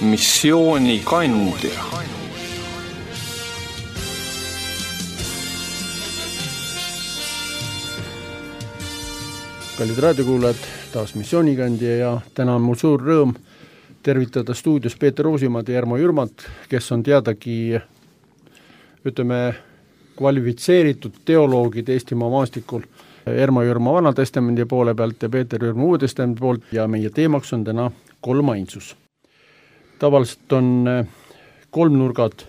missioonikandja. Kallid raadiokuulajad, taas missioonikandja ja täna on mul suur rõõm tervitada stuudios Peeter Uusimaad ja Jarmo Jürmat, kes on teadagi, kvalifitseeritud teoloogid Eestimaa maastikul. Jarmo Jürma Vanatestamendi poole pealt ja Peeter Jürma Uue Testamendi poolt ja meie teemaks on täna kolmainsus. Tavaliselt on kolmnurgad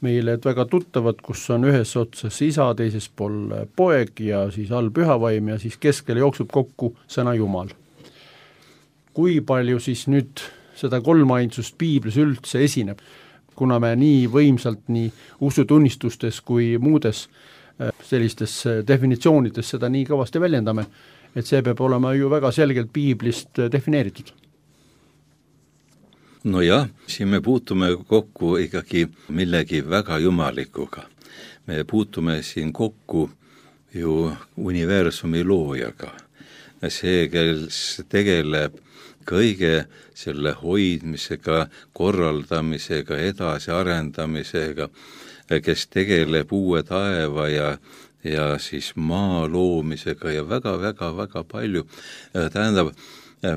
meile väga tuttavad, kus on ühes otsas isa, teises pool poeg ja siis all pühavaim ja siis keskel jooksub kokku sõna Jumal. Kui palju siis nüüd seda kolmainsust piiblis üldse esineb, kuna me nii võimsalt nii usutunnistustes kui muudes sellistes definitsioonides seda nii kõvasti väljendame, et see peab olema ju väga selgelt piiblist defineeritud. No jah, siin me puutume kokku ikkagi millegi väga jumalikuga. Me puutume siin kokku ju universumi loojaga. See, kes tegeleb kõige selle hoidmisega, korraldamisega, edasiarendamisega, kes tegeleb uue taeva ja siis maa loomisega ja väga palju. Tähendab,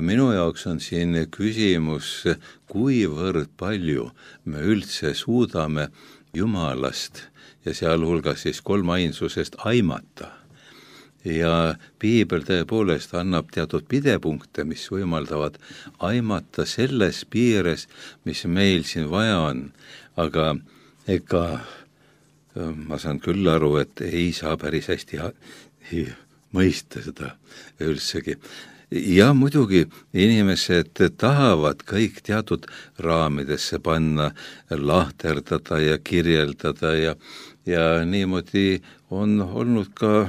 minu jaoks on siin küsimus, kuivõrd palju me üldse suudame Jumalast ja sealhulgas siis kolmainsusest aimata. Ja piibel tõepoolest annab teatud pidepunkte, mis võimaldavad aimata selles piires, mis meil siin vaja on. Aga ega ma saan küll aru, et ei saa päris hästi mõista seda üldsegi. Ja muidugi inimesed tahavad kõik teatud raamidesse panna, lahterdada ja kirjeldada ja niimoodi on olnud ka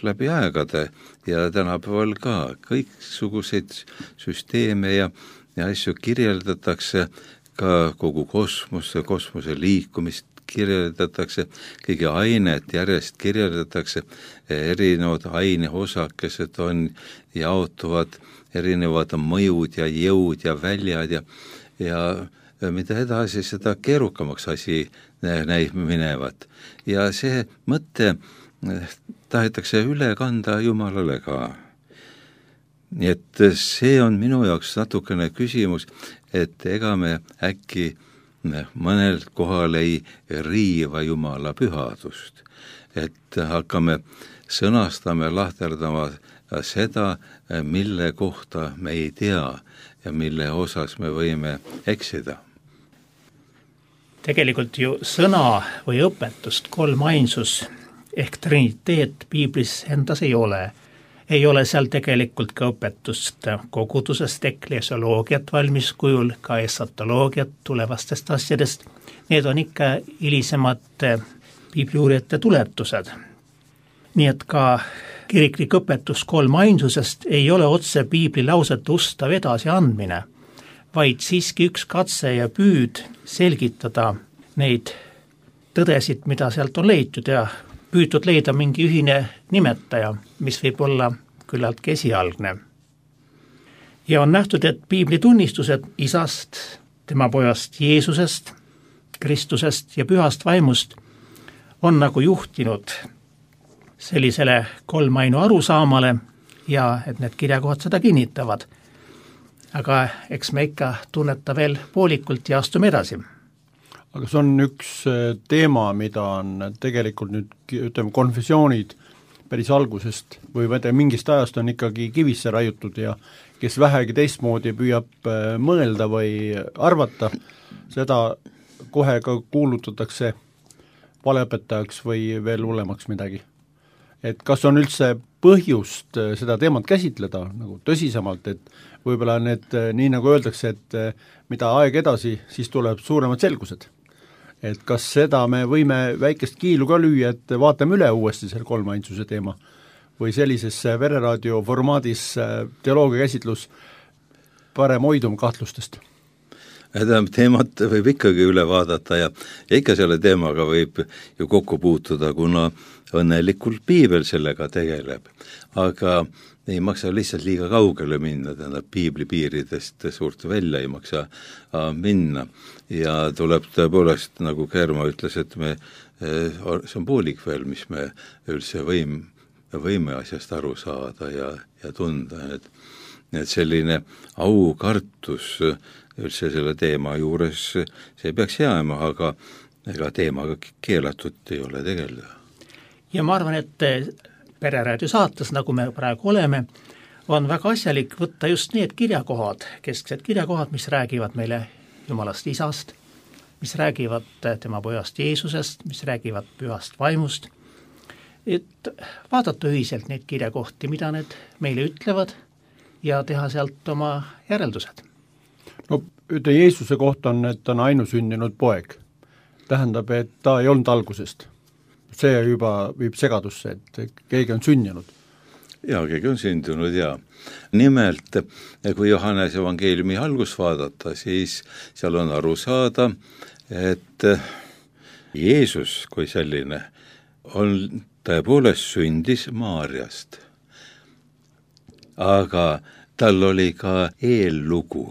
läbi aegade ja tänapäeval ka kõiksuguseid süsteeme ja asju kirjeldatakse, ka kogu kosmose liikumist kirjeldatakse, kõige ainet järjest kirjeldatakse, erinevad aineosakesed on, jaotuvad erinevad mõjud ja jõud ja väljad ja mida edasi, seda keerukamaks asi näib minevat. Ja see mõte tahetakse üle kanda Jumalale ka. Nii et see on minu jaoks natukene küsimus, et ega me äkki mõnel kohal ei riiva Jumala pühadust, et hakkame sõnastama, lahterdama seda, mille kohta me ei tea ja mille osas me võime eksida. Tegelikult ju sõna või õpetust kolmainsus ehk triniteet piiblis endas ei ole. Ei ole seal tegelikult ka õpetust kogudusest, ekklesioloogiat valmis kujul, ka esatoloogiat tulevastest asjadest. Need on ikka hilisemad piibliuurijate tuletused. Nii et ka kiriklik õpetus kolmainsusest ei ole otse piibli lausete ustav edasi andmine, vaid siiski üks katse ja püüd selgitada neid tõdesid, mida sealt on leitud ja püütud leida mingi ühine nimetaja, mis võib olla küllalt esialgne. Ja on nähtud, et piibli tunnistused isast, tema pojast Jeesusest, Kristusest ja pühast vaimust on nagu juhtinud sellisele kolmainu arusaamale ja et need kirjakohad seda kinnitavad. Aga eks me ikka tunneta veel poolikult ja astume edasi. Aga see on üks teema, mida on tegelikult nüüd, konfessioonid päris algusest või mingist ajast on ikkagi kivisse raiutud ja kes vähegi teistmoodi püüab mõelda või arvata, seda kohe ka kuulutatakse valeõpetajaks või veel hullemaks midagi. Et kas on üldse põhjust seda teemat käsitleda nagu tõsisemalt, et võib-olla need, nii nagu öeldakse, et mida aeg edasi, siis tuleb suuremad selgused. Et kas seda me võime väikest kiilu ka lüüa, et vaatame üle uuesti selle kolmainsuse teema või sellises vereraadio formaadis teoloogia käsitlus parem hoidum kahtlustest? Teemat võib ikkagi üle vaadata ja ikka selle teemaga võib ju kokku puutuda, kuna õnnelikult piibel sellega tegeleb. Aga ei maksa lihtsalt liiga kaugele minna, tähendab piibli piiridest suurt välja ei maksa minna. Ja tuleb tõepoolest, nagu Keerma ütles, et see on poolik veel, mis me üldse võime asjast aru saada ja tunda. Et selline aukartus üldse selle teema juures, see peaks jääma, aga ega teemaga keelatud ei ole tegeleda. Ja ma arvan, et Pereraadio saates, nagu me praegu oleme, on väga asjalik võtta just need kirjakohad, kesksed kirjakohad, mis räägivad meile Jumalast Isast, mis räägivad tema pojast Jeesusest, mis räägivad pühast vaimust, et vaadata ühiselt neid kirjakohti, mida need meile ütlevad ja teha sealt oma järeldused. No Jeesuse kohta on, et ta on ainusündinud poeg. Tähendab, et ta ei olnud algusest. See juba viib segadusse, et keegi on sündinud. Jaa, keegi on sündinud, jaa. Nimelt, kui Johannese evangeeliumi algust vaadata, siis seal on aru saada, et Jeesus kui selline on tõepoolest sündis Maarjast. Aga tal oli ka eellugu.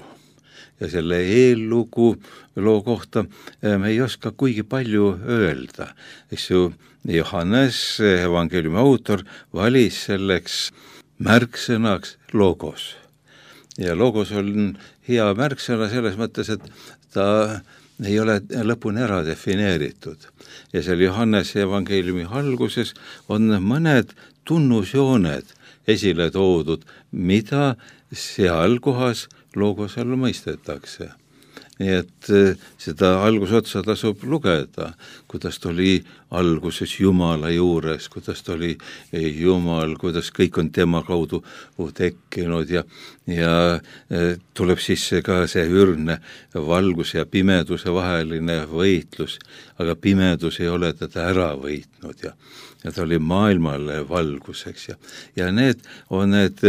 Ja selle eellugu loo kohta me ei oska kuigi palju öelda. Eks ju, Johannes, evangeeliumi autor, valis selleks märksõnaks logos. Ja logos on hea märksõna selles mõttes, et ta ei ole lõpuni ära defineeritud. Ja seal Johannese evangeeliumi alguses on mõned tunnusjooned esile toodud, mida seal kohas logos all mõistetakse. Nii et seda algusotsa tasub lugeda, kuidas ta oli alguses Jumala juures, kuidas ta oli Jumal, kuidas kõik on tema kaudu tekkinud ja tuleb sisse ka see ürgne valguse ja pimeduse vaheline võitlus, aga pimedus ei ole teda ära võitnud ja ta oli maailmale valguseks ja need on need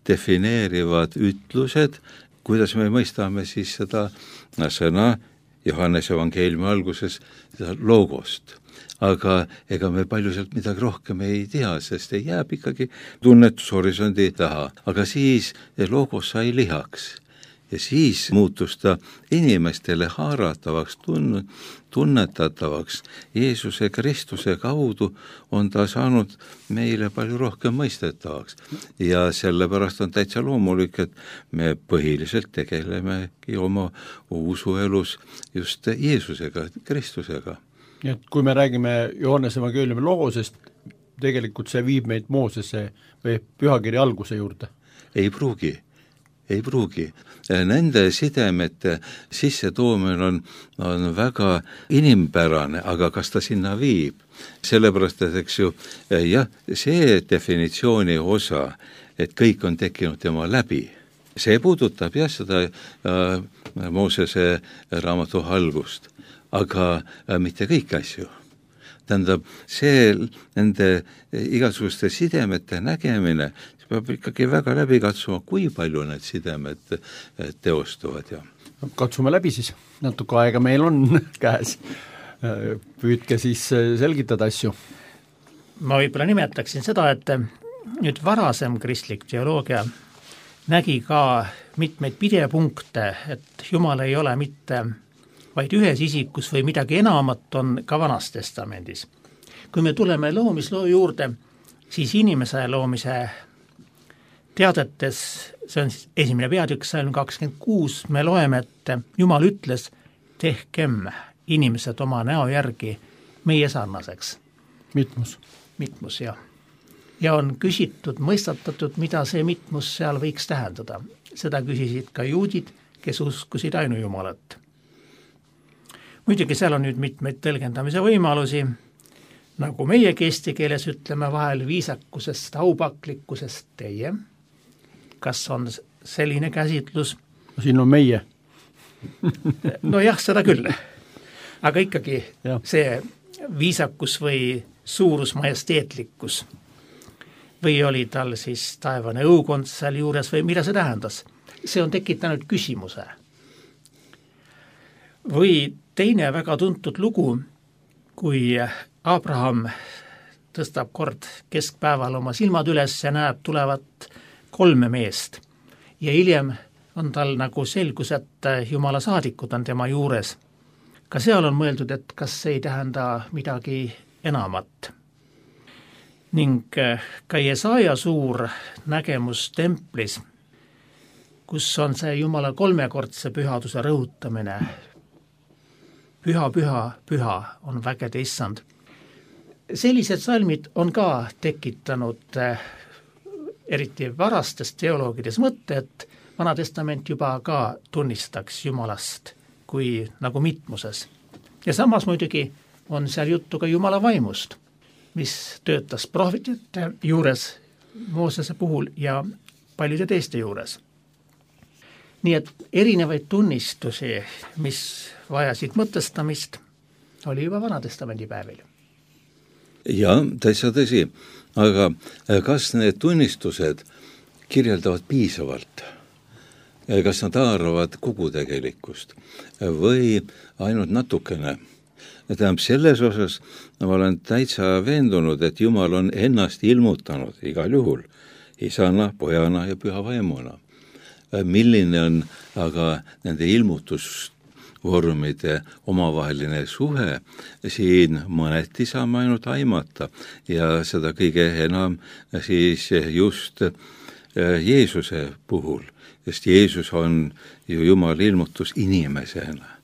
defineerivad ütlused, kuidas me mõistame siis seda sõna Johannese evangeeliumi alguses logost. Aga ega me palju sealt midagi rohkem ei tea, sest ei jääb ikkagi tunnetushorisondi taha. Aga siis logos sai lihaks ja siis muutus ta inimestele haaratavaks, tunnetatavaks. Jeesuse Kristuse kaudu on ta saanud meile palju rohkem mõistetavaks. Ja sellepärast on täitsa loomulik, et me põhiliselt tegelemegi oma usuelus just Jeesusega, Kristusega. Nii et kui me räägime Johannese evangeeliumi logosest, tegelikult see viib meid Moosese või pühakirja alguse juurde? Ei pruugi. Nende sidemete sissetoomine on väga inimpärane, aga kas ta sinna viib? Sellepärast, et eks ju, jah, see definitsiooni osa, et kõik on tekkinud tema läbi, see puudutab jah seda Moosese raamatu algust, aga mitte kõik asju. Tähendab, see nende igasuguste sidemete nägemine peab ikkagi väga läbi katsuma, kui palju need sidemed teostuvad. Katsume läbi siis, natuke aega meil on käes. Püüdke siis selgitada asju. Ma võib-olla nimetaksin seda, et nüüd varasem kristlik teoloogia nägi ka mitmeid pidepunkte, et Jumal ei ole mitte vaid ühes isikus või midagi enamat on ka Vanas Testamendis. Kui me tuleme loomisloo juurde, siis inimese loomise teadetes, see on siis esimene peatükk, salm 26, me loeme, et Jumal ütles, tehkem inimesed oma näo järgi meie sarnaseks. Mitmus, jah. Ja on küsitud, mõistatatud, mida see mitmus seal võiks tähendada. Seda küsisid ka juudid, kes uskusid ainujumalat. Muidugi seal on nüüd mitmeid tõlgendamise võimalusi, nagu meie eesti keeles ütleme vahel viisakusest, aupaklikkusest teie. Kas on selline käsitlus? Siin on meie. No jah, seda küll. Aga ikkagi see viisakus või suurus majesteetlikkus või oli tal siis taevane õukond seal juures või mida see tähendas? See on tekitanud küsimuse. Või teine väga tuntud lugu, kui Abraham tõstab kord keskpäeval oma silmad üles ja näeb tulevat 3 meest. Ja hiljem on tal nagu selgus, et Jumala saadikud on tema juures. Ka seal on mõeldud, et kas ei tähenda midagi enamat. Ning ka Jesaja suur nägemus templis, kus on see Jumala 3-kordse pühaduse rõhutamine. Püha, püha, püha on vägede issand. Sellised salmid on ka tekitanud eriti varastes teoloogides mõtte, et Vana Testament juba ka tunnistaks Jumalast kui nagu mitmuses. Ja samas muidugi on seal juttu ka Jumala vaimust, mis töötas prohvetite juures Moosese puhul ja paljude teiste juures. Nii et erinevaid tunnistusi, mis vajasid mõtestamist, oli juba Vana Testamendi päevil. Ja, täitsa tõsi, aga kas need tunnistused kirjeldavad piisavalt? Kas nad haaravad kogu tegelikkust või ainult natukene? Tähendab, selles osas ma olen täitsa veendunud, et Jumal on ennast ilmutanud igal juhul isana, pojana ja püha vaimuna. Milline on aga nende ilmutusvormide omavaheline suhe, siin mõneti saame ainult aimata ja seda kõige enam siis just Jeesuse puhul, sest Jeesus on ju Jumala ilmutus inimesena.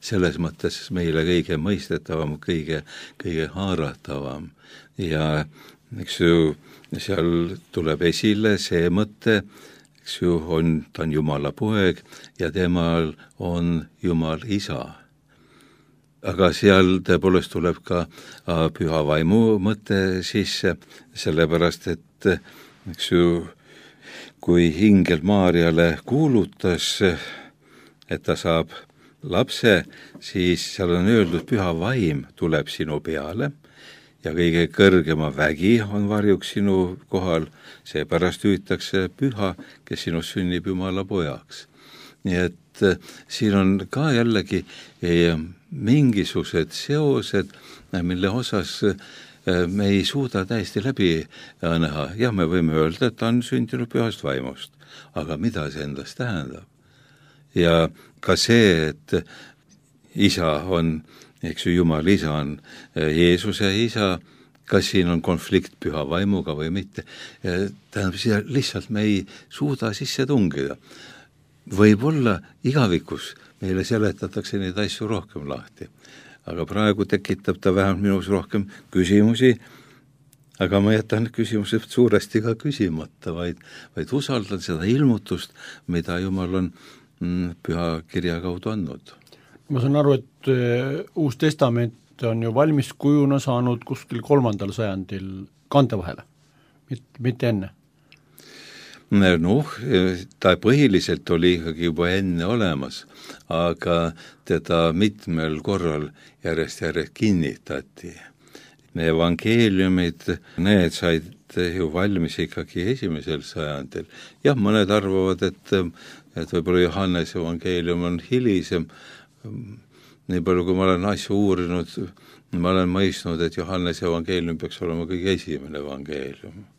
Selles mõttes meile kõige mõistetavam, kõige haaratavam. Ja eks ju, seal tuleb esile see mõte, eks ju, ta on Jumala poeg ja temal on Jumal isa. Aga seal tõepoolest tuleb ka püha vaimu mõte sisse, sellepärast et eks ju, kui ingel Maarjale kuulutas, et ta saab lapse, siis seal on öeldud, püha vaim tuleb sinu peale ja kõige kõrgema vägi on varjuks sinu kohal, seepärast hüütakse püha, kes sinust sünnib Jumala pojaks. Nii et siin on ka jällegi mingisugused seosed, mille osas me ei suuda täiesti läbi näha. Jah, me võime öelda, et ta on sündinud pühast vaimust, aga mida see endast tähendab? Ja ka see, et isa on, eks ju, Jumal isa on Jeesuse isa, kas siin on konflikt püha vaimuga või mitte, tähendab, siia lihtsalt me ei suuda sisse tungida. Võib-olla igavikus meile seletatakse neid asju rohkem lahti, aga praegu tekitab ta vähemalt minus rohkem küsimusi, aga ma jätan küsimused suuresti ka küsimata, vaid usaldan seda ilmutust, mida Jumal on püha kirja kaudu andnud. Ma saan aru, et Uus Testament on ju valmis kujuna saanud kuskil 3. sajandil kandevahele, mitte enne. Noh, ta põhiliselt oli ikkagi juba enne olemas, aga teda mitmel korral järjest kinnitati. Evangeeliumid, need said ju valmis ikkagi 1. sajandil. Jah, mõned arvavad, et võib-olla Johannese evangeelium on hilisem. Nii palju, kui ma olen asju uurinud, ma olen mõistnud, et Johannese evangeelium peaks olema kõige esimene evangeelium.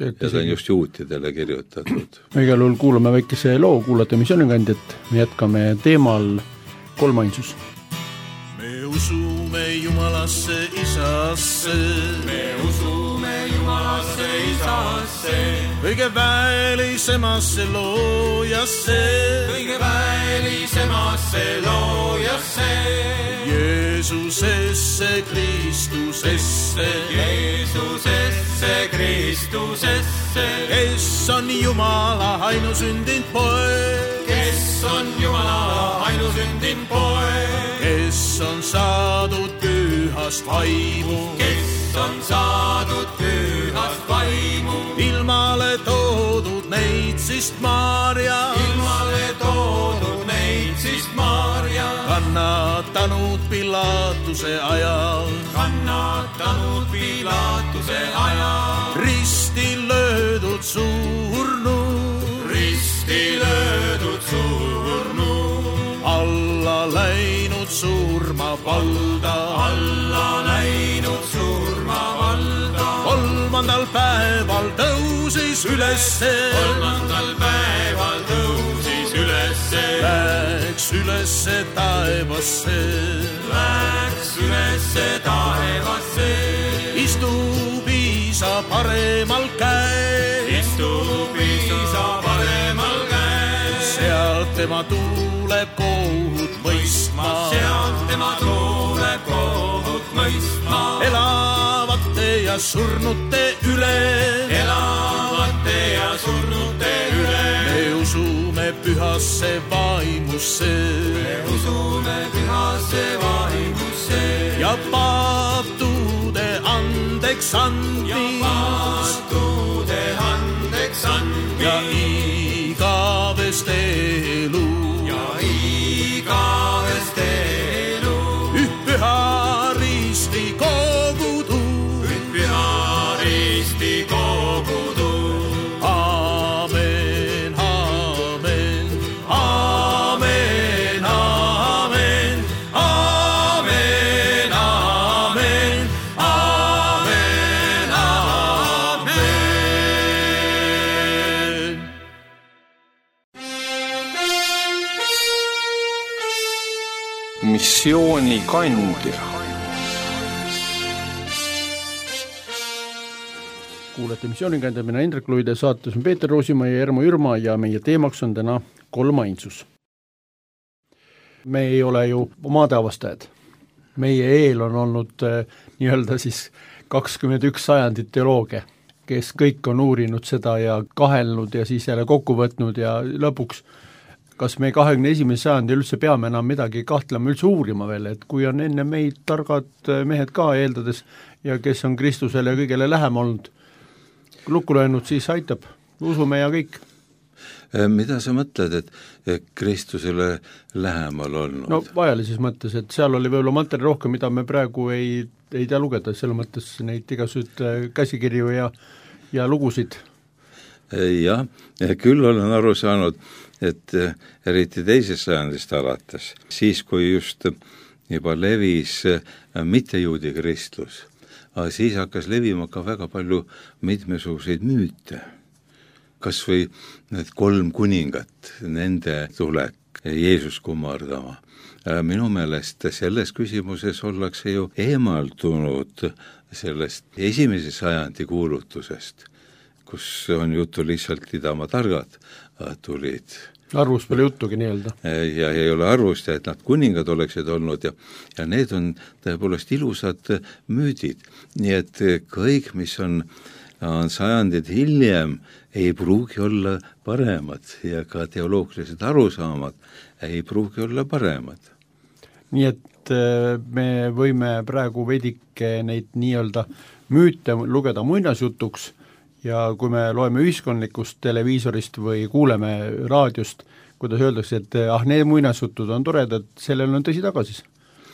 Ja ta on just juutidele kirjutatud. Igal juhul kuulame väikese loo, kuulate missioonikandjat, me jätkame teemal kolmainsus. Me usume Jumalasse isasse, me usume Jumalasse isasse, kõige väelisemasse loojasse, kõige väelisemasse loojasse, Jeesusesse Kristusesse, Jeesusesse Kristusesse, kes on Jumala ainusündinud poeg, kes on Jumala ainusündinud poeg, kes on saadud pühast vaimu, kes on saadud pühast vaimu, ilmale toodud neitsist Maarja, ilmale toodud neitsist Maarja, kannatanud Pilatuse ajal, kannatanud Pilatuse ajal, risti löödud surnu, risti löödud surnu, alla läinud valda, alla läinud surmavalda. 3. päeval tõusis ülesse, 3. päeval tõusis ülesse, läks ülesse taevasse, läks ülesse taevasse, istub Iisa paremal käel, istub Iisa paremal käel. sealt tema tuleb kohut mõistma, Sealt tema tuleb kohut mõistma, elavate ja surnute üle, elavate ja surnute üle. me usume pühasse vaimusse Me usume pühasse vaimusse ja paatude andeks andmist paatude andeks ja andmist igavest elu, ja igavest elu. püha risti kogudu, Püha risti kogudu. aamen, aamen, aamen, aamen, aamen, aamen, aamen, aamen. missioonikandja. kuulete Missioonikandja, mina Indrek Luide, saates on Peeter Roosimaa ja Ermo Jürma ja meie teemaks on täna kolmainsus. Me ei ole ju maadeavastajad. Meie eel on olnud nii-öelda siis 21 sajandit teoloogia, kes kõik on uurinud seda ja kahelnud ja siis jälle kokku võtnud ja lõpuks kas me 21. sajandil üldse peame enam midagi kahtlema, üldse uurima veel, et kui on enne meid targad mehed ka eeldades ja kes on Kristusele ja kõigele lähem olnud, lukku löönud, siis aitab, usume ja kõik. Mida sa mõtled, et Kristusele lähemal olnud? No vajalises mõttes, et seal oli võib-olla materjali rohkem, mida me praegu ei tea lugeda, selle mõttes neid igasuguseid käsikirju ja lugusid. Jah, küll olen aru saanud, et eriti teisest sajandist alates, siis kui just juba levis mittejuudi kristlus, siis hakkas levima ka väga palju mitmesuguseid müüte. Kas või need 3 kuningat, nende tulek Jeesus kummardama. Minu meelest selles küsimuses ollakse ju eemaldunud sellest 1. sajandi kuulutusest, kus on juttu lihtsalt Idamaa targad tulid. Arvust pole juttugi nii-öelda. Ja ei ole arvust, et nad kuningad oleksid olnud ja need on tõepoolest ilusad müüdid. Nii et kõik, mis on sajandid hiljem, ei pruugi olla paremad ja ka teoloogilised arusaamad ei pruugi olla paremad. Nii et me võime praegu veidike neid nii-öelda müüte lugeda muinasjutuks ja kui me loeme ühiskondlikust televiisorist või kuuleme raadiost, kuidas öeldakse, et need muinasjutud on toredad, sellel on tõsi taga siis.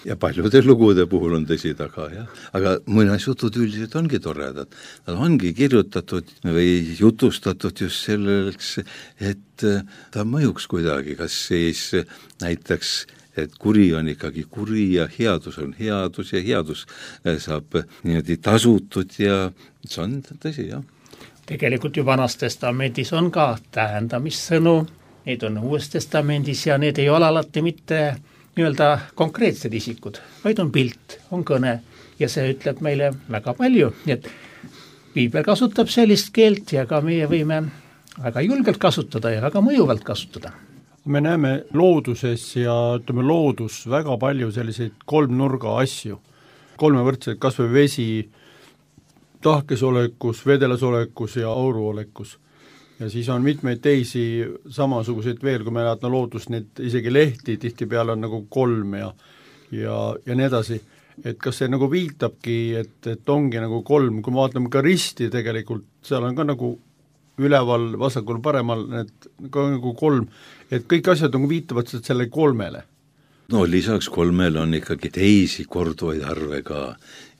Ja paljude lugude puhul on tõsi taga, jah. Aga muinasjutud üldiselt ongi toredad. Nad ongi kirjutatud või jutustatud just selleks, et ta mõjuks kuidagi, kas siis näiteks, et kuri on ikkagi kuri ja headus on headus ja headus saab niimoodi tasutud ja see on tõsi, jah. Tegelikult ju Vanas testamendis on ka tähendamissõnu, need on Uues testamendis ja need ei ole alati mitte nii-öelda konkreetsed isikud, vaid on pilt, on kõne ja see ütleb meile väga palju, nii et Piibel kasutab sellist keelt ja ka meie võime väga julgelt kasutada ja väga mõjuvalt kasutada. Me näeme looduses ja ütleme loodus väga palju selliseid kolmnurga asju, kolmevõrdseid, kas või vesi, tahkesolekus, vedelasolekus ja auruolekus. Ja siis on mitmeid teisi samasuguseid veel, kui me näetame loodust, neid isegi lehti tihtipeale on nagu 3 ja nii edasi. Et kas see nagu viitabki, et ongi nagu 3, kui me vaatame ka risti tegelikult, seal on ka nagu üleval, vasakul, paremal, need ka nagu 3, et kõik asjad nagu viitavad selle 3-le. No lisaks 3-le on ikkagi teisi korduvaid arve ka,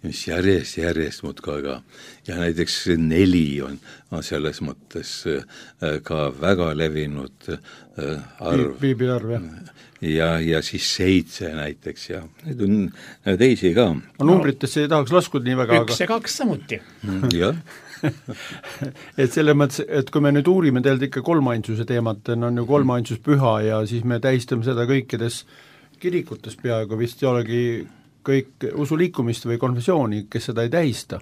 mis järjest muudkui, aga ja näiteks 4 on selles mõttes ka väga levinud arv. Piibiarv, jah. Ja siis 7 näiteks ja need on teisi ka. Numbritesse ei tahaks laskuda nii väga, 1 ja 2 samuti. Jah. et selle mõttes, et kui me nüüd uurime tegelikult ikka kolmainsuse teemat, on ju kolmainsus püha ja siis me tähistame seda kõikides kirikutes peaaegu, vist ei olegi kõik usuliikumist või konfessiooni, kes seda ei tähista.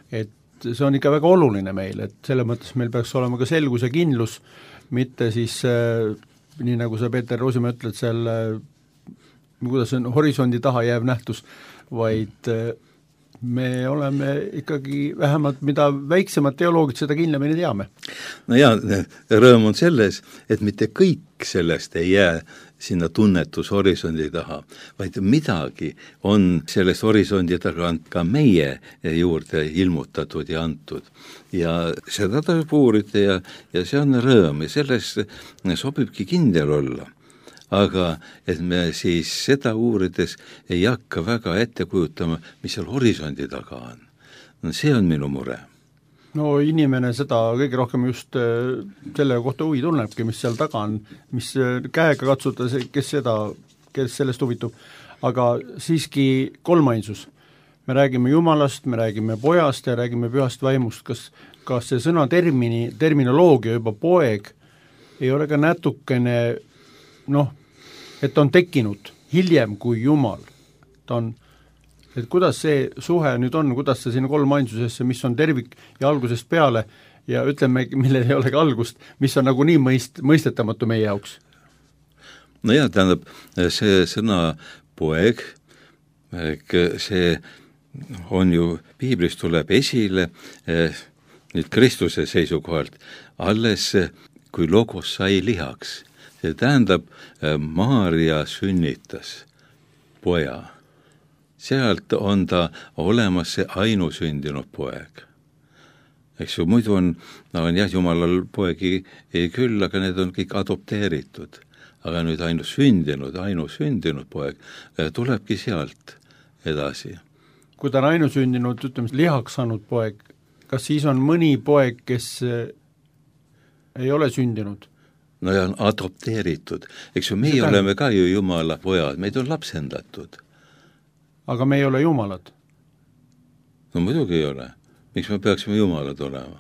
Et see on ikka väga oluline meil, et selle mõttes meil peaks olema ka selgus ja kindlus, mitte siis nii nagu sa, Peeter Roosimaa, ütled seal, kuidas on horisondi taha jääv nähtus, vaid me oleme ikkagi vähemalt, mida väiksemad teoloogid, seda kindlamini teame. No ja, rõõm on selles, et mitte kõik sellest ei jää sinna tunnetushorisondi taha, vaid midagi on sellest horisondi tagant ka meie juurde ilmutatud ja antud. Ja seda tasub uurida ja see on rõõm ja selles sobibki kindel olla. Aga et me siis seda uurides ei hakka väga ette kujutama, mis seal horisondi taga on. No see on minu mure. No inimene seda kõige rohkem just selle kohta huvi tunnebki, mis seal taga on, mis käega katsuda, kes sellest huvitub, aga siiski kolmainsus. Me räägime Jumalast, me räägime pojast ja räägime pühast vaimust, kas see sõna terminoloogia juba poeg ei ole ka natukene, et on tekkinud hiljem kui Jumal. Et kuidas see suhe nüüd on, kuidas see sinna kolmainsusesse, mis on tervik ja algusest peale ja ütleme, millel ei ole ka algust, mis on nagu nii mõistetamatu meie jaoks? No ja tähendab, see sõna poeg, see on ju, piiblis tuleb esile nüüd Kristuse seisukohalt, alles kui logos sai lihaks. See tähendab, Maarja sünnitas poja. Sealt on ta olemas see ainusündinud poeg. Eks ju, muidu on jah, Jumalal poegi ei küll, aga need on kõik adopteeritud. Aga nüüd ainusündinud poeg tulebki sealt edasi. Kui ta on ainusündinud, ütleme, lihaks saanud poeg, kas siis on mõni poeg, kes ei ole sündinud? No ja on adopteeritud. Eks ju, meie oleme ka ju Jumala pojad, meid on lapsendatud. Aga me ei ole jumalad. No muidugi ei ole. Miks me peaksime jumalad olema?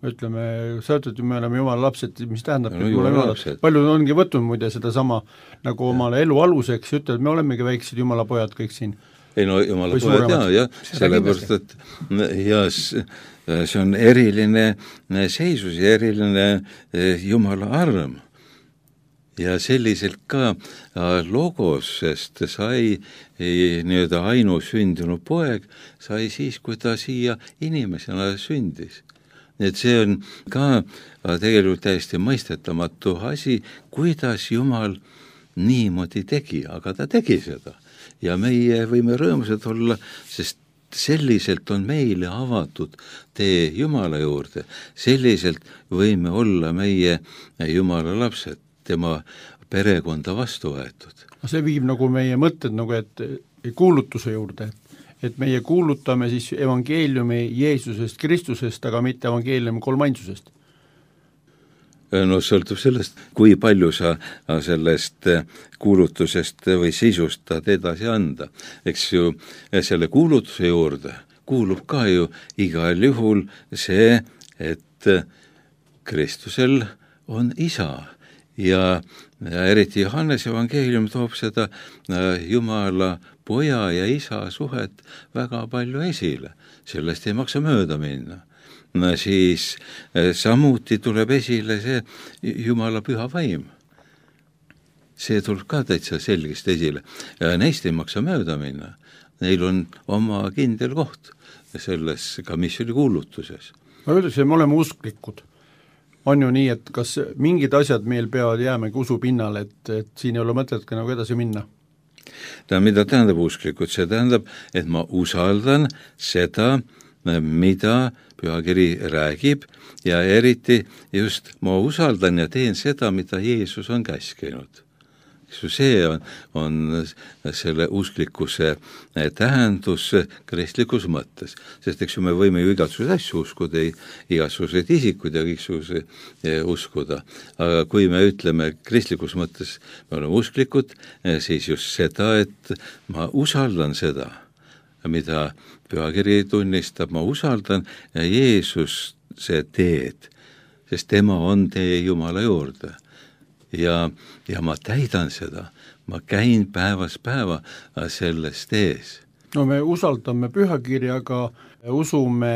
Ütleme, sa ütled, me oleme jumala lapsed, mis tähendab, no, jumala lapsed. Paljud ongi võtnud muide seda sama nagu omale elu aluseks, ütled, me olemegi väiksed jumala pojad kõik siin. Ei no jumala pojad ja sellepärast, et see on eriline seisus ja eriline jumala arm. Ja selliselt ka logosest sai nii-öelda ainusündinud poeg, sai siis, kui ta siia inimesena sündis. Nii et see on ka tegelikult täiesti mõistetamatu asi, kuidas Jumal niimoodi tegi, aga ta tegi seda. Ja meie võime rõõmsad olla, sest selliselt on meile avatud tee Jumala juurde, selliselt võime olla meie Jumala lapsed, tema perekonda vastu võetud. See viib nagu meie mõtted nagu, et kuulutuse juurde, et meie kuulutame siis evangeeliumi Jeesusest, Kristusest, aga mitte evangeeliumi kolmainsusest. No sõltub sellest, kui palju sa sellest kuulutusest või sisust tahad edasi anda. Eks ju, selle kuulutuse juurde kuulub ka ju igal juhul see, et Kristusel on isa ja eriti Johannes evangeelium toob seda Jumala poja ja isa suhet väga palju esile. Sellest ei maksa mööda minna. Siis samuti tuleb esile see Jumala püha vaim. See tuleb ka täitsa selgesti esile. Neist ei maksa mööda minna. Neil on oma kindel koht selles ka missiooni kuulutuses. Ma ütles, et me oleme usklikud. On ju nii, et kas mingid asjad meil peavad jäämegi usu pinnale, et siin ei ole mõtet ka nagu edasi minna? Mida tähendab usklikud? See tähendab, et ma usaldan seda, mida pühakiri räägib ja eriti just ma usaldan ja teen seda, mida Jeesus on käskinud. see on selle usklikkuse tähendus kristlikus mõttes. Sest eks ju me võime ju igasuguseid asju uskuda, igasuguseid isikuid ja igasuguseid uskuda. Aga kui me ütleme kristlikus mõttes, me oleme usklikud, siis just seda, et ma usaldan seda, mida pühakiri tunnistab, ma usaldan Jeesuse teed, sest tema on tee Jumala juurde. Ja ma täidan seda, ma käin päevast päeva selles tees. No me usaldame pühakirjaga, usume,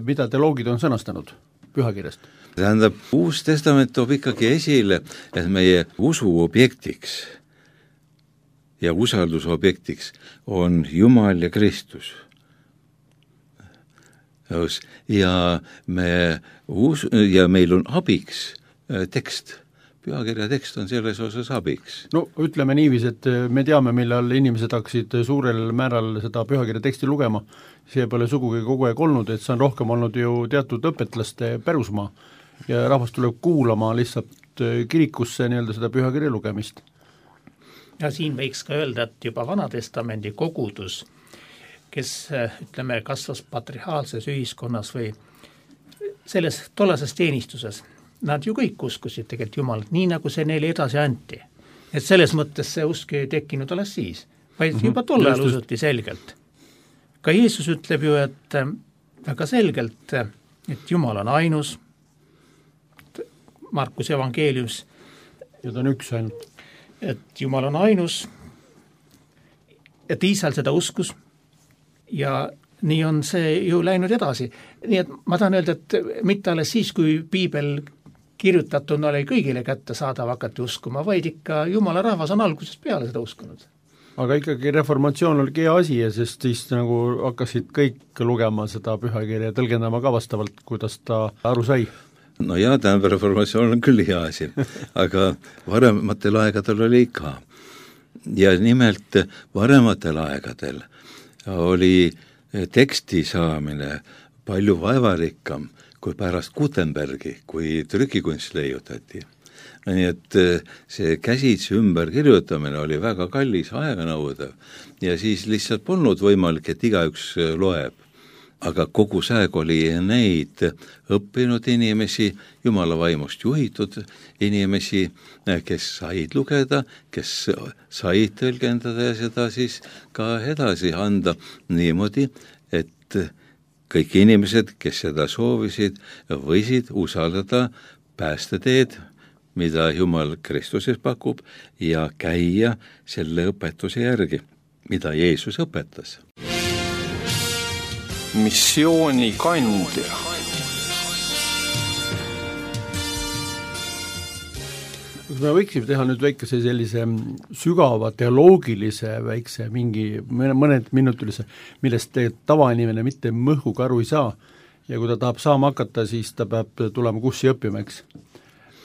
mida teoloogid on sõnastanud pühakirjast. Tähendab, Uus Testament toob ikkagi esile, et meie usuobjektiks ja usaldusobjektiks on Jumal ja Kristus. Ja meil on abiks tekst. Pühakirja tekst on selles osas abiks. No ütleme niiviisi, et me teame, millal inimesed hakkasid suurel määral seda pühakirja teksti lugema. See pole sugugi kogu aeg olnud, et see on rohkem olnud ju teatud õpetlaste pärusmaa ja rahvas tuleb kuulama lihtsalt kirikusse nii-öelda seda pühakirja lugemist. Ja siin võiks ka öelda, et juba Vanatestamendi kogudus, kes ütleme kasvas patriarhaalses ühiskonnas või selles tollases teenistuses, nad ju kõik uskusid tegelikult Jumalat, nii nagu see neile edasi anti. Et selles mõttes see usk ei tekkinud alles siis, vaid juba tol ajal usuti selgelt. Ka Jeesus ütleb ju, et väga selgelt, et Jumal on ainus, Markuse evangeelius. Ja ta on üks ainult. Et Jumal on ainus, et Iisrael seda uskus ja nii on see ju läinud edasi. Nii et ma tahan öelda, et mitte alles siis, kui piibel kirjutatuna oli kõigile kätte saadav hakati uskuma, vaid ikka Jumala rahvas on algusest peale seda uskunud. Aga ikkagi reformatsioon oli hea asi ja sest siis nagu hakkasid kõik lugema seda pühakirja ja tõlgendama ka vastavalt, kuidas ta aru sai. No jaa, tähendab, reformatsioon on küll hea asi, aga varematel aegadel oli ka. Ja nimelt varematel aegadel oli teksti saamine palju vaevarikkam kui pärast Gutenbergi, kui trükikunst leiutati. Nii et see käsitsi ümberkirjutamine oli väga kallis, aeganõudev ja siis lihtsalt polnud võimalik, et igaüks loeb. Aga kogu säeg oli neid õppinud inimesi, Jumala vaimust juhitud inimesi, kes said lugeda, kes said tõlgendada ja seda siis ka edasi anda niimoodi, et kõik inimesed, kes seda soovisid, võisid usaldada päästeteed, mida Jumal Kristuses pakub ja käia selle õpetuse järgi, mida Jeesus õpetas. Missiooni kandja. Me võiksime teha nüüd väikese sellise sügava teoloogilise väikse mingi mõned minutilise, millest tavainimene mitte mõhuga aru ei saa ja kui ta tahab saama hakata, siis ta peab tulema kurssi õppima, eks.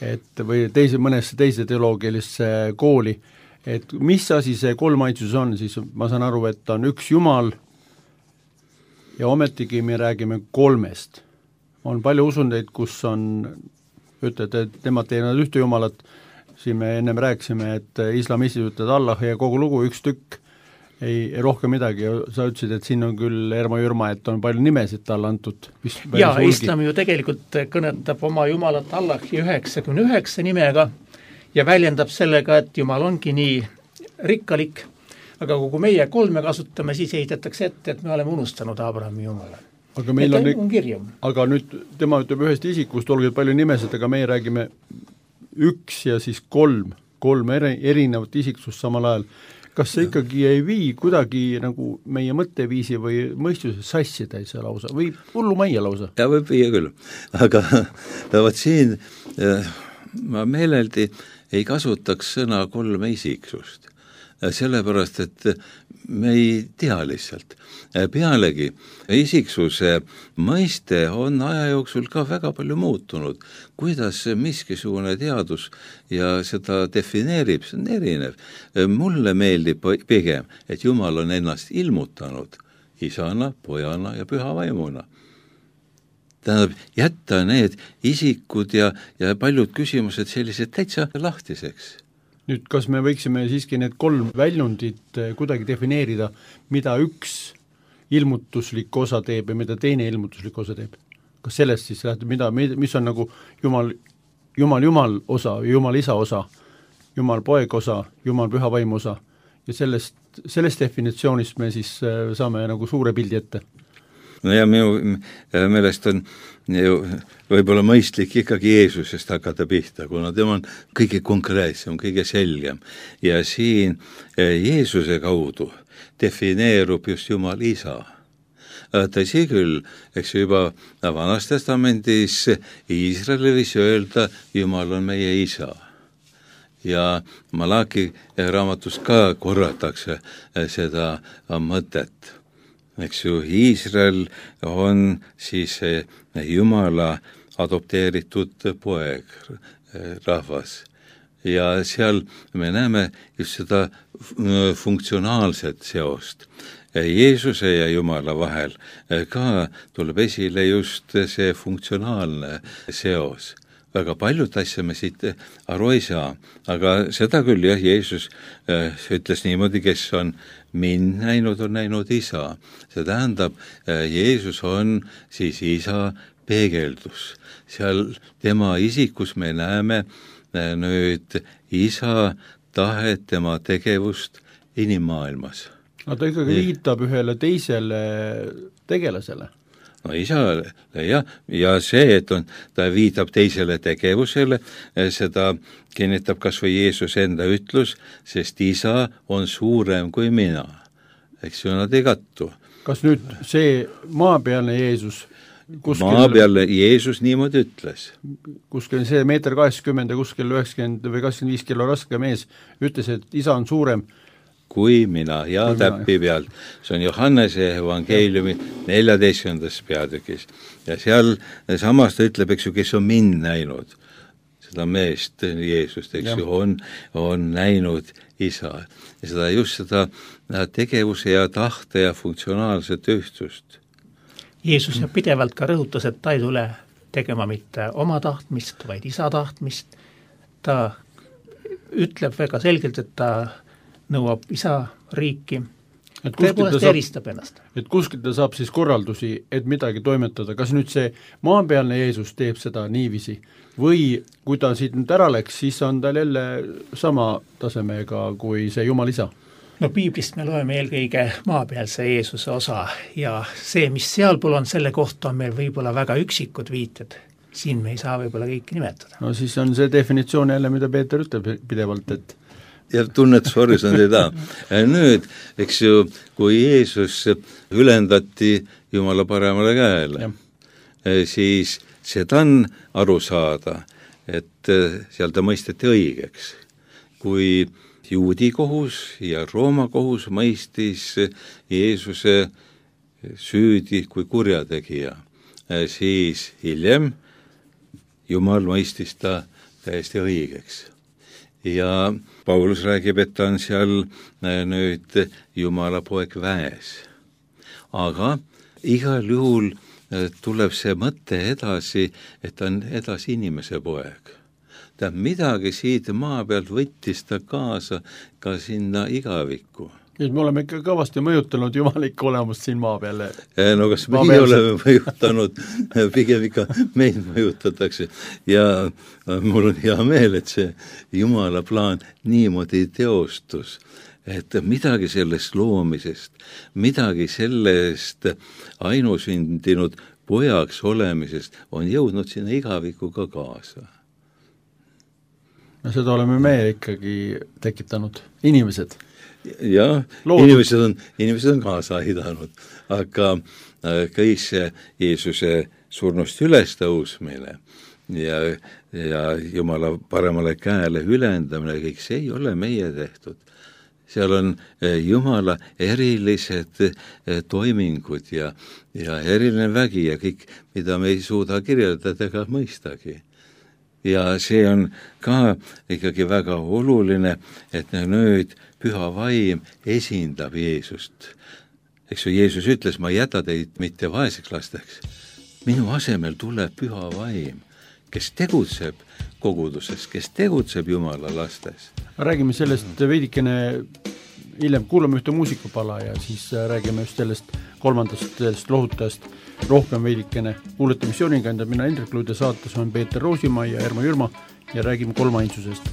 Et või mõnesse teise teoloogilisse kooli, et mis asi see kolmainsus on, siis ma saan aru, et ta on üks Jumal ja ometigi me räägime kolmest. On palju usundeid, kus on, ütlete, et nemad teevad ühte Jumalat, siin me ennem rääkisime, et islamistid ütlevad Allah ja kogu lugu üks tükk, ei rohkem midagi, sa ütlesid, et siin on küll Erma-Jürma, et on palju nimesid talle antud. Ja islam ju tegelikult kõnetab oma Jumalat Allahi 99 nimega ja väljendab sellega, et Jumal ongi nii rikkalik, aga kui meie kolme kasutame, siis ehitatakse ette, et me oleme unustanud Abrahami Jumala. Aga meil on kirjum. Aga nüüd tema ütleb ühest isikust, olgu palju nimesid, aga meie räägime üks ja siis kolm erinevat isiksust samal ajal. Kas see ikkagi ei vii kuidagi nagu meie mõtteviisi või mõistuse sassida see lausa või hullu majja lausa? Ja võib viia küll, aga võt siin ma meeleldi ei kasutaks sõna kolme isiksust. Sellepärast, et me ei tea lihtsalt. Pealegi isiksuse mõiste on aja jooksul ka väga palju muutunud. Kuidas miskisugune teadus ja seda defineerib, see on erinev. Mulle meeldib pigem, et Jumal on ennast ilmutanud isana, pojana ja püha vaimuna. Tähendab, jätta need isikud ja paljud küsimused sellised täitsa lahtiseks. nüüd kas me võiksime siiski need 3 väljundit kuidagi defineerida, mida üks ilmutuslik osa teeb ja mida teine ilmutuslik osa teeb? Kas sellest siis lähtub, mis on nagu Jumal osa, Jumal isa osa, Jumal poeg osa, Jumal püha vaim osa ja sellest definitsioonist me siis saame nagu suure pildi ette? No ja minu meelest on ju võib-olla mõistlik ikkagi Jeesusest hakata pihta, kuna tema on kõige konkreetsem, kõige selgem. Ja siin Jeesuse kaudu defineerub just Jumal isa. Tõsi küll, eks juba Vanas Testamendis Iisraeli võis öelda, Jumal on meie isa. Ja Malaki raamatus ka korratakse seda mõtet. Eks ju, Iisrael on siis Jumala adopteeritud poeg, rahvas. Ja seal me näeme just seda funktsionaalset seost. Jeesuse ja Jumala vahel ka tuleb esile just see funktsionaalne seos. Väga paljud asja me siit aru ei saa, aga seda küll jah, Jeesus ütles niimoodi, kes on mind näinud, on näinud isa. See tähendab, Jeesus on siis isa peegeldus. Seal tema isikus me näeme nüüd isa tahet, tema tegevust inimmaailmas. No ta ikkagi viitab ühele teisele tegelasele. No isale, jah, ja see, et ta viitab teisele tegevusele, seda kinnitab kas või Jeesus enda ütlus, sest isa on suurem kui mina. Eks ju, nad ei kattu. Kas nüüd see maapealne Jeesus maapealne Jeesus niimoodi ütles. Kuskil see 1,80 ja kuskil 90 või 85 kilo raske mees ütles, et isa on suurem kui mina ja täppi pealt. See on Johannese evangeeliumi 14. peatükis. Ja seal samas ta ütleb, eks ju, kes on mind näinud, seda meest Jeesust, eks ju, on näinud isa. Ja seda just seda tegevuse ja tahte ja funktsionaalset ühtsust. Jeesus pidevalt ka rõhutas, et ta ei tule tegema mitte oma tahtmist, vaid isa tahtmist. Ta ütleb väga selgelt, et ta nõuab isa riiki, tõepoolest eristab ennast. Et kuskilt ta saab siis korraldusi, et midagi toimetada. Kas nüüd see maapealne Jeesus teeb seda niiviisi või kui ta siit nüüd ära läks, siis on tal jälle sama tasemega kui see Jumal isa? No piiblist me loeme eelkõige maapealse Jeesuse osa ja see, mis sealpool on, selle kohta on meil võib-olla väga üksikud viited. Siin me ei saa võib-olla kõiki nimetada. No siis on see definitsioon jälle, mida Peeter ütleb pidevalt, et ja tunnetushorisont ei taha. Nüüd, eks ju, kui Jeesus ülendati Jumala paremale käele, siis seda on aru saada, et seal ta mõisteti õigeks. Kui juudi kohus ja Rooma kohus mõistis Jeesuse süüdi kui kurjategija, siis hiljem Jumal mõistis ta täiesti õigeks. Ja Paulus räägib, et ta on seal nüüd Jumala poeg väes. Aga igal juhul tuleb see mõte edasi, et ta on edasi inimese poeg. Ta midagi siit maa pealt võttis ta kaasa ka sinna igavikku. Nüüd me oleme ikka kõvasti mõjutanud jumalikku olemust siin maa peale. No kas meie oleme mõjutanud, pigem ikka meid mõjutatakse. Ja mul on hea meel, et see Jumala plaan niimoodi teostus, et midagi sellest loomisest, midagi sellest ainusündinud pojaks olemisest on jõudnud sinna igavikuga kaasa. No seda oleme me ikkagi tekitanud, inimesed. Ja inimesed on kaasa aidanud, aga kõik see Jeesuse surnust üles tõusmine ja Jumala paremale käele ülendamine, kõik see ei ole meie tehtud. Seal on Jumala erilised toimingud ja eriline vägi ja kõik, mida me ei suuda kirjeldada ega mõistagi. Ja see on ka ikkagi väga oluline, et nüüd püha vaim esindab Jeesust. Eks ju, Jeesus ütles, ma ei jäta teid mitte vaeseks lasteks. Minu asemel tuleb püha vaim, kes tegutseb koguduses, kes tegutseb Jumala lastes. räägime sellest veidikene hiljem, kuulame ühte muusikupala ja siis räägime just sellest kolmandast sellest lohutajast rohkem veidikene. Kuulete Missioonikandjad, mina Hendrik Luud ja saates on Peeter Roosimaa ja Ermo Jürma ja räägime kolmainsusest.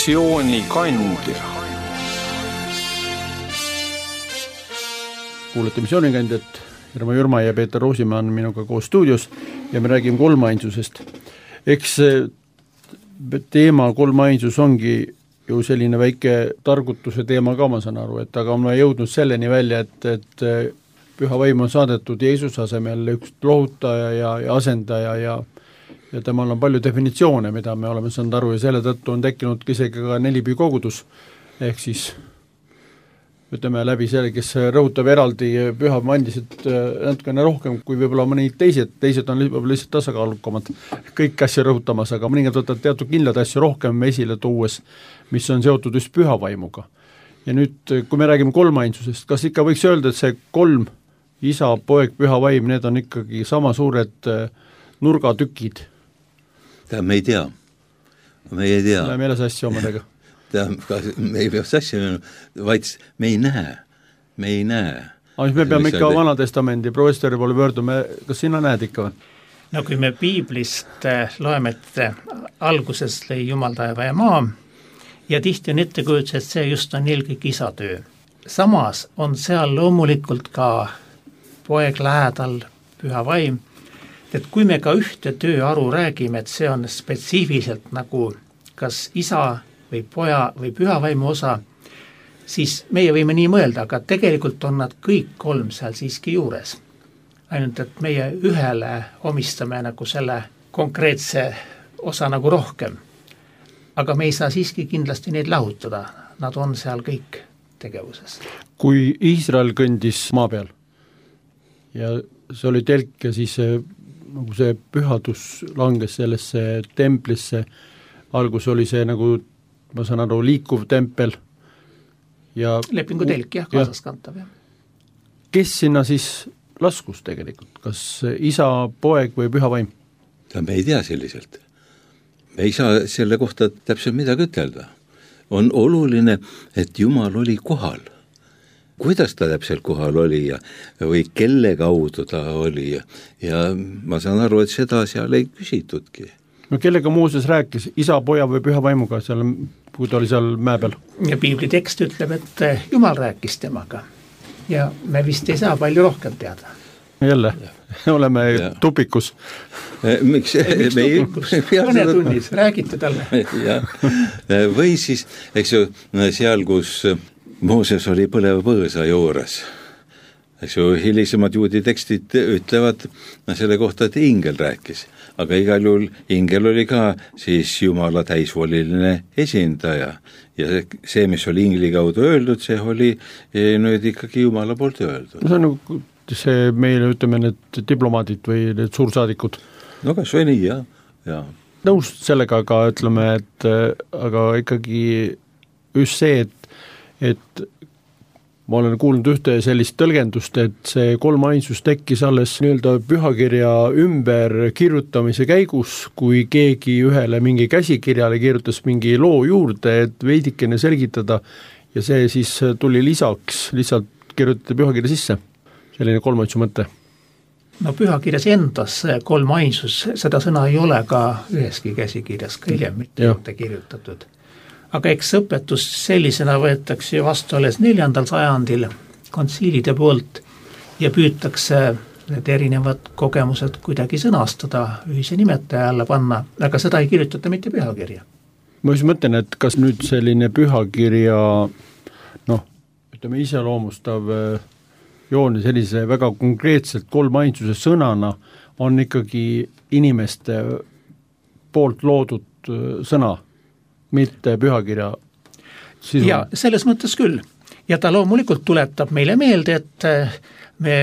Missioonikandja. Kuulete Missioonikandjat, Ermo Jürma ja Peeter Roosimaa on minuga koos stuudios ja me räägime kolmainsusest. Eks teema kolmainsus ongi ju selline väike targutuse teema ka, ma saan aru, et aga on jõudnud selleni välja, et püha vaim on saadetud Jeesuse asemel üks lohutaja ja asendaja ja temal on palju definitsioone, mida me oleme saanud aru ja selle tõttu on tekkinud isegi ka nelipüü kogudus, ehk siis ütleme läbi selle, kes rõhutab eraldi püha mandisid natukene rohkem kui võib-olla mõni teised on võib-olla lihtsalt tasakaalukamad kõik asju rõhutamas, aga mõningad võtavad teatud kindlad asju rohkem esile tuues, mis on seotud just püha vaimuga. Ja nüüd, kui me räägime kolmainsusest, kas ikka võiks öelda, et see 3, isa, poeg, püha vaim, need on ikkagi sama suured nurgatükid? Me ei tea. Läheme jälle sassi omadega. Me ei pea sassi, vaid me ei näe. Aga me peame ikka Vanatestamendi professori poole pöördume, kas sina näed ikka või? No kui me piiblist loeme, et alguses lõi Jumal taeva ja maa, ja tihti on ettekujutus, et see just on eelkõige isa töö. Samas on seal loomulikult ka poeg lähedal, püha vaim, et kui me ka ühte tööaru räägime, et see on spetsiifiliselt nagu kas isa või poja või püha vaimu osa, siis meie võime nii mõelda, aga tegelikult on nad kõik 3 seal siiski juures. Ainult, et meie ühele omistame nagu selle konkreetse osa nagu rohkem. Aga me ei saa siiski kindlasti neid lahutada, nad on seal kõik tegevuses. Kui Iisrael kõndis maa peal ja see oli telk ja siis nagu see pühadus langes sellesse templisse, algus oli see nagu, ma saan aru, liikuv tempel ja lepingu telk, jah, kaasaskantav. Ja. Kes sinna siis laskus tegelikult, kas isa, poeg või püha vaim? Me ei tea selliselt. Me ei saa selle kohta täpselt midagi ütelda. On oluline, et Jumal oli kohal. Kuidas ta täpselt kohal oli või kelle kaudu ta oli ja ma saan aru, et seda seal ei küsitudki. No kellega Mooses rääkis, isa, poja või püha vaimuga, seal, kui ta oli seal mäe peal? Ja piibli tekst ütleb, et Jumal rääkis temaga ja me vist ei saa palju rohkem teada. Jälle, oleme tupikus. Miks tupikus? Mõne tunnis, räägite talle. Või siis, eks ju, seal, kus Mooses oli põleva põõsa juures, eks ju, hilisemad juudi tekstid ütlevad selle kohta, et ingel rääkis, aga igal juhul ingel oli ka siis Jumala täisvoliline esindaja ja see, mis oli ingli kaudu öeldud, see oli nüüd ikkagi Jumala poolt öeldud. See on nagu see meile, ütleme, need diplomaadid või need suursaadikud. No kas või nii, jah. Nõus sellega, aga ütleme, et aga ikkagi just see, et ma olen kuulnud ühte sellist tõlgendust, et see kolmainsus tekkis alles nii-öelda pühakirja ümber kirjutamise käigus, kui keegi ühele mingi käsikirjale kirjutas mingi loo juurde, et veidikene selgitada ja see siis tuli lisaks, lihtsalt kirjutati pühakirja sisse. Selline kolmainsu mõte. No pühakirjas endas kolmainsus, seda sõna ei ole ka üheski käsikirjas, ka hiljem mitte juurde kirjutatud. Aga eks õpetus sellisena võetakse vastu alles 4. sajandil kontsiilide poolt ja püütakse need erinevad kogemused kuidagi sõnastada, ühise nimetaja alla panna, aga seda ei kirjutata mitte pühakirja. Ma just mõtlen, et kas nüüd selline pühakirja ütleme iseloomustav joon sellise väga konkreetselt kolmainsuse sõnana on ikkagi inimeste poolt loodud sõna, mitte pühakirja sisu. Ja selles mõttes küll. Ja ta loomulikult tuletab meile meelde, et me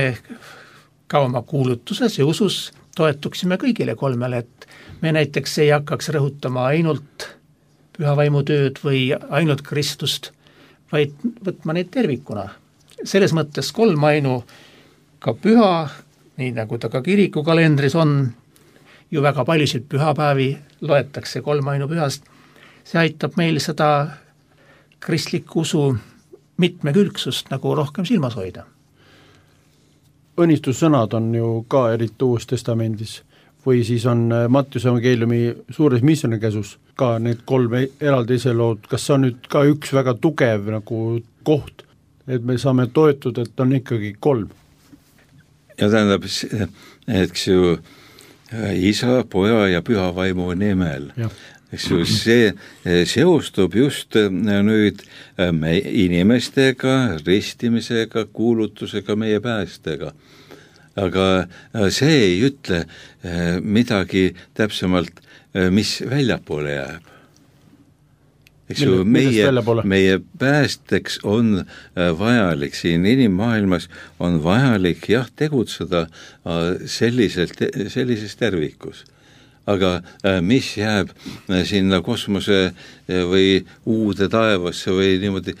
ka oma kuulutuses ja usus toetuksime kõigile 3, et me näiteks ei hakkaks rõhutama ainult pühavaimu tööd või ainult Kristust, vaid võtma neid tervikuna. Selles mõttes 3 ka püha, nii nagu ta ka kirikukalendris on, ju väga paljusid pühapäevi loetakse 3 pühast, see aitab meil seda kristliku usu mitmekülgsust nagu rohkem silmas hoida. Õnnistussõnad on ju ka eriti Uues Testamendis või siis on Mattiuse evangeeliumi suures missionikäsus ka need 3 eraldi iselood, kas see on nüüd ka üks väga tugev nagu koht, et me saame toetuda, et on ikkagi 3. Ja tähendab, eks ju isa, poja ja püha vaimu nimel. Eks ju, see seostub just nüüd inimestega, ristimisega, kuulutusega, meie päästega. Aga see ei ütle midagi täpsemalt, mis väljapoole jääb. eks ju, meie päästeks on vajalik siin inimmaailmas, on vajalik jah, tegutseda sellises tervikus. Aga mis jääb sinna kosmose või uude taevasse või niimoodi,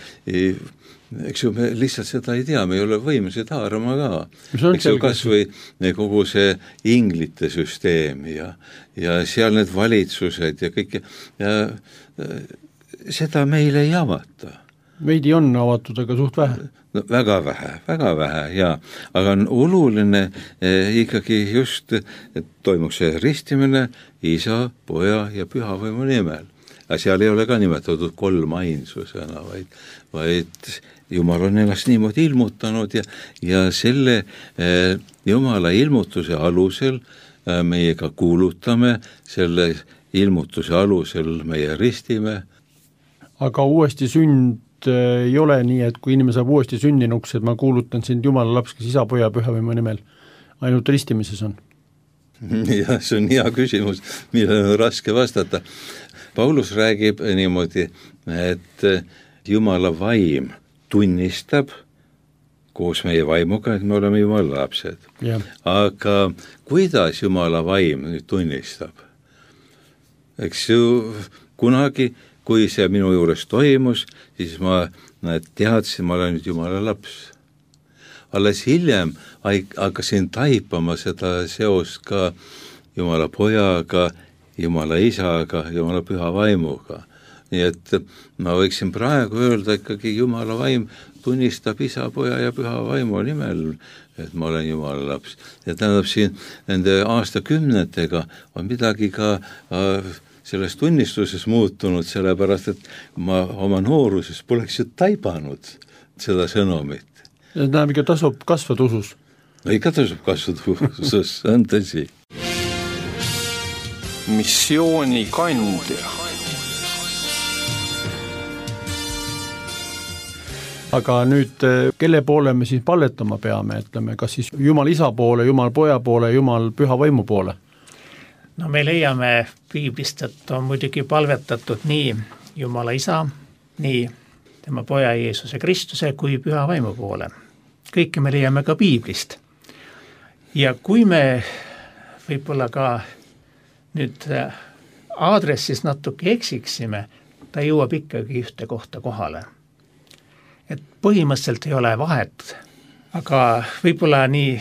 eks ju, me lihtsalt seda ei tea, me ei ole võimelised haarama ka. Eks ju, kas või kogu see inglite süsteem ja seal need valitsused ja kõik ja seda meile ei avata. Veidi on avatud, aga suht vähe. No, väga vähe, jaa. Aga on oluline ikkagi just, et toimuks see ristimine Isa, Poja ja Pühavaimu nimel. Aga seal ei ole ka nimetatud kolmainsusena, vaid Jumal on ennast niimoodi ilmutanud ja selle Jumala ilmutuse alusel meie ka kuulutame, selle ilmutuse alusel meie ristime. Aga uuesti sünd ei ole nii, et kui inimene saab uuesti sündinuks, et ma kuulutan sind Jumala laps, kes Isa, Poja, Pühavaimu nimel, ainult ristimises on? Jah, see on hea küsimus, millele on raske vastata. Paulus räägib niimoodi, et Jumala vaim tunnistab koos meie vaimuga, et me oleme Jumala lapsed. Ja. Aga kuidas Jumala vaim nüüd tunnistab? Eks ju, kunagi, kui see minu juures toimus, siis ma teadsin, ma olen nüüd Jumala laps. Alles hiljem hakkasin taipama seda seost ka Jumala Pojaga, Jumala Isaga, Jumala Püha Vaimuga. Nii et ma võiksin praegu öelda ikkagi Jumala vaim tunnistab Isa, Poja ja Püha Vaimu nimel, et ma olen Jumala laps. Ja tähendab siin nende aastakümnetega on midagi ka selles tunnistuses muutunud, sellepärast, et ma oma nooruses poleks ju taibanud seda sõnumit. Ja tähendab, ikka tasub kasvada usus? No ikka tasub kasvada usus, on tõsi. Missiooni kandja. Aga nüüd, kelle poole me siis palvetama peame, ütleme, kas siis Jumal Isa poole, Jumal Poja poole, Jumal Püha Vaimu poole? No me leiame Piiblist, et on muidugi palvetatud nii Jumala Isa, nii tema Poja Jeesuse Kristuse kui Püha Vaimu poole. Kõike me leiame ka Piiblist. Ja kui me võib-olla ka nüüd aadressis natuke eksiksime, ta jõuab ikkagi ühte kohta kohale. Et põhimõtteliselt ei ole vahet, aga võib-olla nii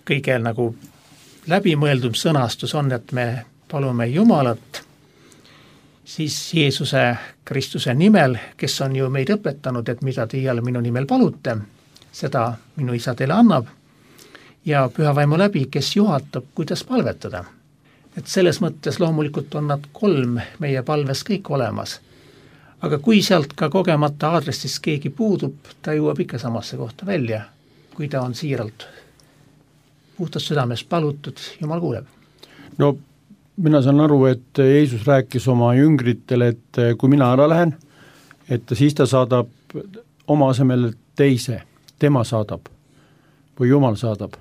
kõige nagu läbimõeldum sõnastus on, et me palume Jumalat siis Jeesuse Kristuse nimel, kes on ju meid õpetanud, et mida teie minu nimel palute, seda minu Isa teile annab, ja Püha Vaimu läbi, kes juhatab, kuidas palvetada. Et selles mõttes loomulikult on nad 3 meie palves kõik olemas. Aga kui sealt ka kogemata aadressis keegi puudub, ta jõuab ikka samasse kohta välja, kui ta on siiralt puhtast südames palutud, Jumal kuuleb. No mina saan aru, et Jeesus rääkis oma jüngritele, et kui mina ära lähen, et siis ta saadab oma asemel teise, tema saadab või Jumal saadab.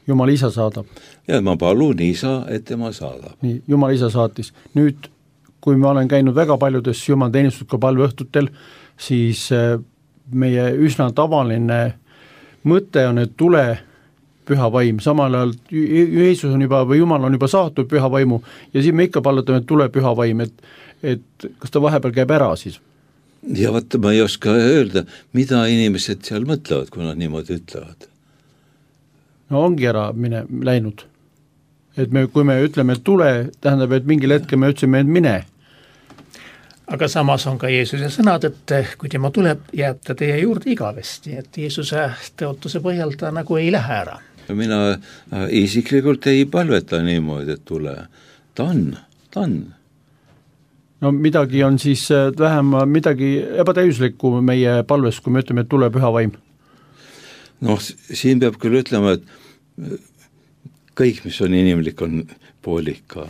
Jumal Isa saadab. Ja ma palun Isa, et tema saadab. Nii, Jumal Isa saatis. Nüüd kui ma olen käinud väga paljudes Jumal teenistud ka palveõhtutel, siis meie üsna tavaline mõte on, et tule Püha Vaim. Samal ajal Jeesus on juba või Jumal on juba saatnud Püha Vaimu ja siis me ikka palvetame, et tule Püha Vaim, et kas ta vahepeal käib ära siis? Ja vaata, ma ei oska öelda, mida inimesed seal mõtlevad, kui nad niimoodi ütlevad. No ongi ära läinud. Et kui me ütleme, et tule, tähendab, et mingil hetkel me ütlesime, et mine. Aga samas on ka Jeesuse sõnad, et kui tema tuleb, jääb ta teie juurde igavesti, et Jeesuse tõotuse põhjal ta nagu ei lähe ära. Mina isiklikult ei palveta niimoodi, et tule. Ta on. No midagi on siis vähem midagi ebatäiuslikku meie palves, kui me ütleme, et tule Püha Vaim. No siin peab küll ütlema, et kõik, mis on inimlik, on poolika.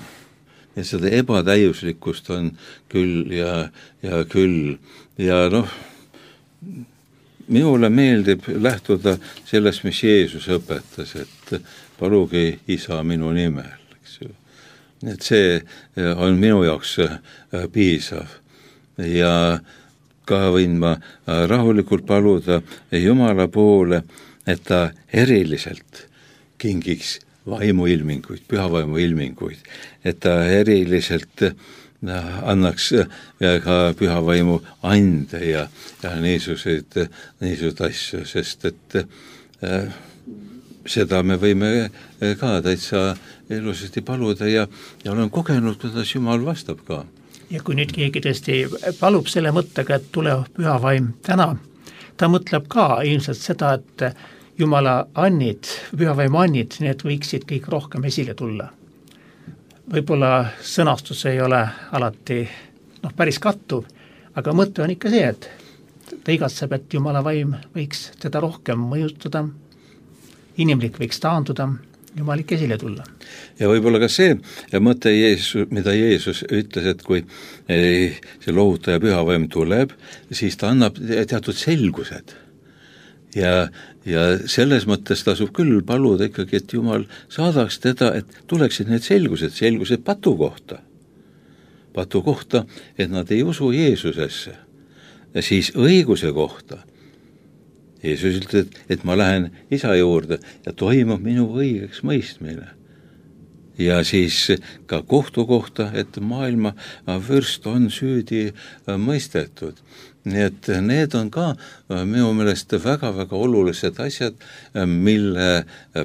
Ja seda ebatäiuslikkust on küll ja küll. Ja minule meeldib lähtuda sellest, mis Jeesus õpetas, et paluge Isa minu nimel. Eks ju. Et see on minu jaoks piisav. ja ka võin ma rahulikult paluda Jumala poole, et ta eriliselt kingiks vaimuilminguid, pühavaimuilminguid, et ta eriliselt annaks ka pühavaimu ande ja niisuguseid asju, sest et seda me võime ka täitsa ilusasti paluda ja olen kogenud, kuidas Jumal vastab ka. Ja kui nüüd keegi tõesti palub selle mõttega, et tule pühavaim täna, ta mõtleb ka ilmselt seda, et Jumala annid, pühavaimu annid, need võiksid kõik rohkem esile tulla. Võib-olla sõnastus ei ole alati päris kattuv, aga mõte on ikka see, et ta igatseb, et Jumala vaim võiks teda rohkem mõjutada, inimlik võiks taanduda, Jumalik esile tulla. Ja võib-olla ka see mõte, mida Jeesus ütles, et kui see lohutaja pühavaim tuleb, siis ta annab teatud selgused. Ja selles mõttes tasub küll paluda ikkagi, et Jumal saadaks teda, et tuleksid need selgused patu kohta, et nad ei usu Jeesusesse. Ja siis õiguse kohta. Jeesus ütleb, et ma lähen isa juurde ja toimub minu õigeks mõistmine. Ja siis ka kohtu kohta, et maailma vürst on süüdi mõistetud. Nii et need on ka minu meelest väga-väga olulised asjad, mille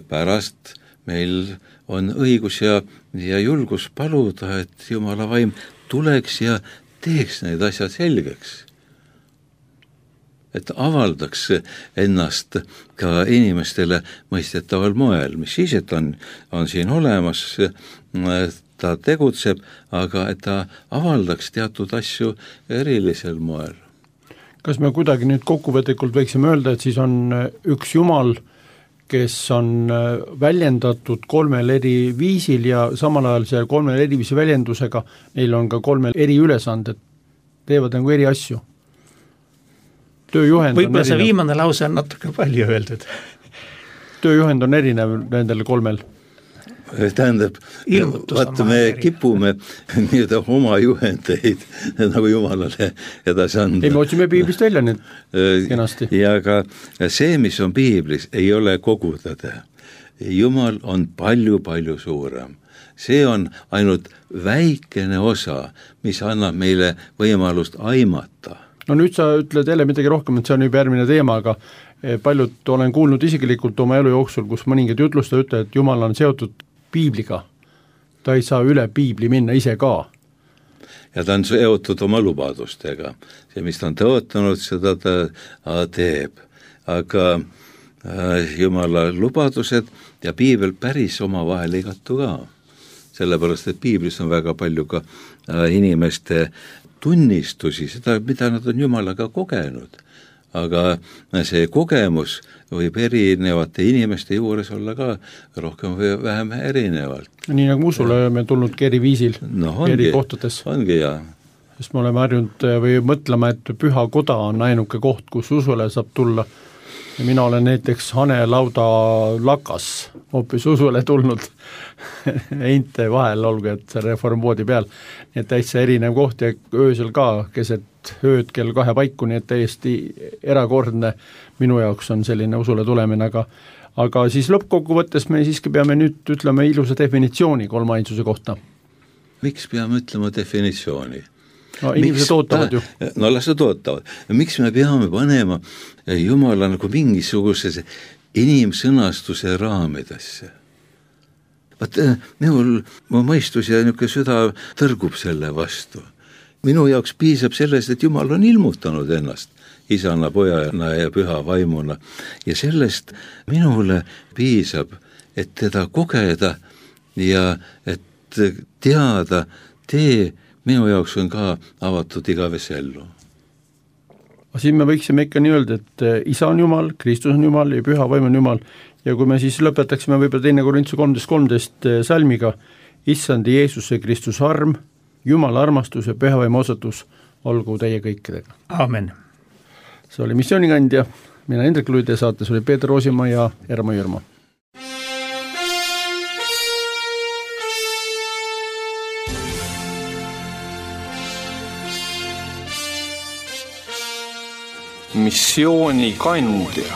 pärast meil on õigus ja julgus paluda, et Jumala vaim tuleks ja teeks need asjad selgeks. Et avaldaks ennast ka inimestele mõistetaval moel, mis siis, et on siin olemas, ta tegutseb, aga et ta avaldaks teatud asju erilisel moel. Kas me kuidagi nüüd kokkuvõtlikult võiksime öelda, et siis on üks Jumal, kes on väljendatud 3 eri viisil ja samal ajal see 3 eri viisi väljendusega, neil on ka 3 eri ülesanded, teevad nagu eri asju? Võib-olla see viimane lause on natuke palju öeldud. Tööjuhend on erinev nendel 3. Tähendab, vaata me kipume nii-öelda oma juhendeid nagu Jumalale edasi anda. Ei, me otsime piiblist välja nüüd kenasti. Ja ka see, mis on piiblis, ei ole kogu tõde. Jumal on palju-palju suurem. See on ainult väikene osa, mis annab meile võimalust aimata. No nüüd sa ütled jälle midagi rohkem, et see on juba järgmine teema, aga paljud olen kuulnud isiklikult oma elu jooksul, kus mõningad jutlusta ütle, et Jumal on seotud piibliga. Ta ei saa üle piibli minna ise ka. Ja ta on seotud oma lubadustega. See, mis ta on tõotanud, seda ta teeb. Aga Jumala lubadused ja piibel päris oma vahel ei kattu ka. Sellepärast, et piiblis on väga palju ka inimeste tunnistusi, seda, mida nad on Jumalaga kogenud. Aga see kogemus võib erinevate inimeste juures olla ka rohkem või vähem erinevalt. Nii nagu usule me tulnudki eri viisil, eri kohtades. Ongi, jah. Sest me oleme harjunud või mõtlema, et püha koda on ainuke koht, kus usule saab tulla. Ja mina olen näiteks Hanelauda lakas hoopis usule tulnud einte vahel olgu, et see reformvoodi peal. Nii et täitsa erinev koht ja öösel ka keset ööd kell 2 paiku, nii et täiesti erakordne minu jaoks on selline usule tulemine, aga siis lõppkokkuvõttes me siiski peame nüüd ütlema ilusa definitsiooni kolmainsuse kohta. Miks peame ütlema definitsiooni? No inimesed ootavad ju. No las nad ootavad. Miks me peame panema Jumala nagu mingisuguse inimsõnastuse raamidesse? Vaat mu mõistus ja niisugune süda tõrgub selle vastu. Minu jaoks piisab sellest, et Jumal on ilmutanud ennast isana, pojana ja püha vaimuna. Ja sellest minule piisab, et teda kogeda ja et teada tee minu jaoks on ka avatud igavese ellu. Siin me võiksime ikka nii öelda, et isa on Jumal, Kristus on Jumal ja püha vaim on Jumal. Ja kui me siis lõpetaksime võib-olla 2. Korintuse 13 salmiga, issandi Jeesuse Kristus arm, Jumala armastus ja püha vaim osatus olgu teie kõikidega. Aamen. See oli missioonikandja, mina Hendrik Luide, saates oli Peeter Roosimaa ja Ermo Jürmo. missioonikandja.